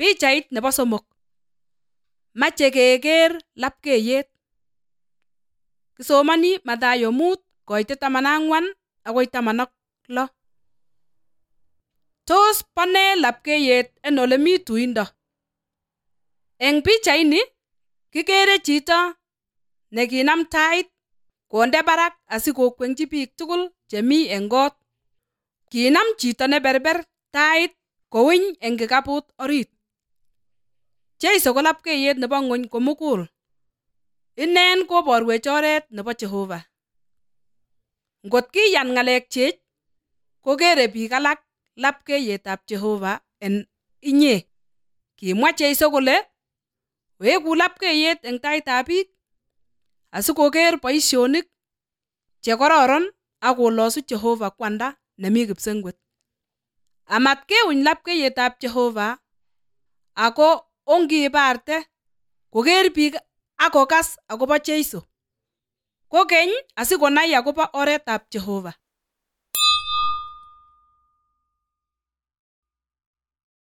Pichait nebo somok. Mache keker lapkeiyet. Kisomani Mathayo 5:14 agoi 16. Tos bone lapkeiyet en ole mi tuindo? Eng pichaini kikere chito nekinam tait konde barak asikokwenchi biik tugul chemi eng kot. Kinam chito neberber tait kowiny eng kikaput orit. Jeiso ko lapkeiyet nebo ng'ony komugul. Inen koborwech oret nebo Jehova. Ngot kiyan ng'alekchik, kokere biik alak lapkeiyetab Jehova en inye. Kimwa Jeiso kole weku lapkeiyet eng taitab biik asikoker boisionik che kororon ak kolosu Jehova kwanda nemi kipsengwet. Amatkeuny lapkeiyetab Jehova ako ongibarte koker biik ak kokas akobo Jeiso. Kokeny asikonai akobo oretab Jehova.